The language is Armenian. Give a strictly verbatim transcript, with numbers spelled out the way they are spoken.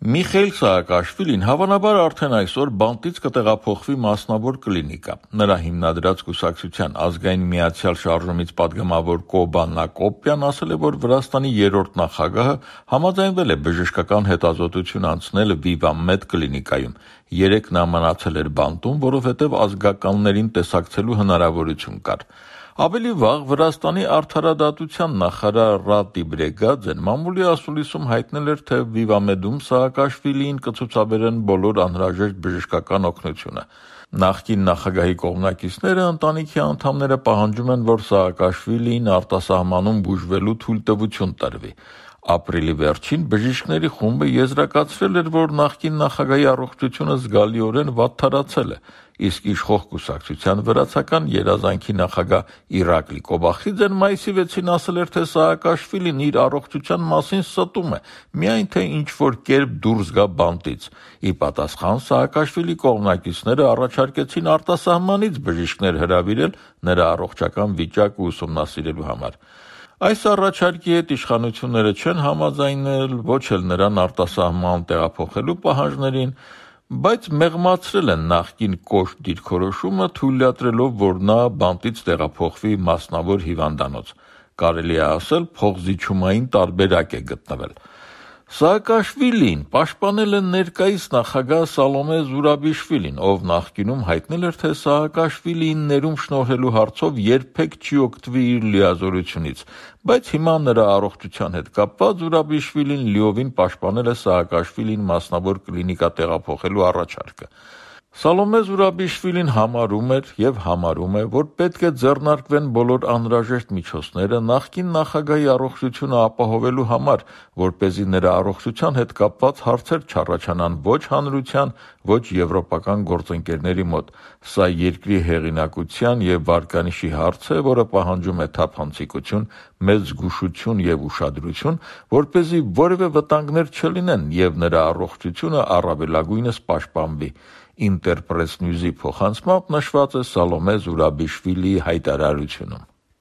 Միխեիլ Սաակաշվիլին հավանաբար արդեն այսօր բանտից կտեղափոխվի մասնավոր կլինիկա։ Նրա հիմնադրած կուսակցության ազգային միացյալ շարժումից падգամավոր Կոբան Նակոպյան ասել է, որ Վրաստանի երրորդ նախագահը համաձայնվել է բժշկական հետազոտություն անցնել Վիվա-Մեդ կլինիկայում։ Երեկ նա մնացել էր բանտում, որովհետև ազգականներին տեսակցելու հնարավորություն կար։ Ավելի վաղ Վրաստանի արդարադատության նախարար Ռատի Բրեգաձեն մամուլի ասուլիսում հայտնել էր, թե Վիվա-Մեդում Սաակաշվիլիին կցուցաբերեն բոլոր անհրաժեշտ բժշկական օգնությունը։ Նախկին նախագահի կողմնակիցները ընտանիքի անդամները պահանջում են, որ Սաակաշվիլիին արտասահմանում բուժվելու թույլտվություն տրվի։ Ապրիլի վերջին բժիշկների խումբը եզրակացրել էր, որ նախկին նախագահի առողջությունը զգալիորեն վատթարացել է, իսկ իշխող կուսակցության վրացական երազանքի նախագահ Իրակլի Կոբախիձեն մայիսի վեցին ասել էր, թե Սաակաշվիլին իր առողջության մասին ստում է, միայն թե ինչ-որ կերպ դուրս գա բանտից։ Ի պատասխան Սաակաշվիլի կողմնակիցները առաջարկեցին արտասահմանից բժիշկներ հրավիրել նրա առողջական վիճակը ուսումնասիրելու համար։ Այս առաջարկի հետ իշխանությունները չեն համաձայնել, ոչ էլ նրան արտասահման տեղափոխելու պահանջներին, բայց մեղմացրել են նախկին կոշտ դիրքորոշումը, թույլատրելով, որ նա բանտից տեղափոխվի մասնավոր հիվանդանոց։ Կարելի է ասել, փոխզիջումային տարբերակ է գտնվել։ Սաակաշվիլին պաշտպանել է ներկայիս նախագահ Սալոմե Զուրաբիշվիլին, ով նախկինում հայտնել էր, թե Սաակաշվիլիին ներում շնորհելու հարցով երբեք չի օգտվի իր լիազորությունից, բայց հիմա նրա առողջության հետ կապված Զուրաբիշվիլին լիովին պաշտպանել է Սաակաշվիլին մասնավոր կլինիկա տեղափոխելու առաջարկը։ Սալոմե Զուրաբիշվիլին համարում էր և համարում է, որ պետք է ձեռնարկվեն բոլոր անհրաժեշտ միջոցները նախկին նախագահի առողջությունը ապահովելու համար, որպեսզի նրա առողջության հետ կապված հարցեր չառաջանան ոչ հանրության, ոչ եվրոպական գործընկերների մոտ։ Սա երկրի հեղինակության և վարկանիշի հարց է, որը պահանջում է թափանցիկություն, մեծ զգուշություն և ուշադրություն, որպեսզի որևէ վտանգներ չլինեն և նրա առողջությունը առավելագույնս պաշտպանվի։ Ինտերպրես Նյուզի փոխանցմամբ նշված է Սալոմե Զուրաբիշվիլիի հայտարարությունում։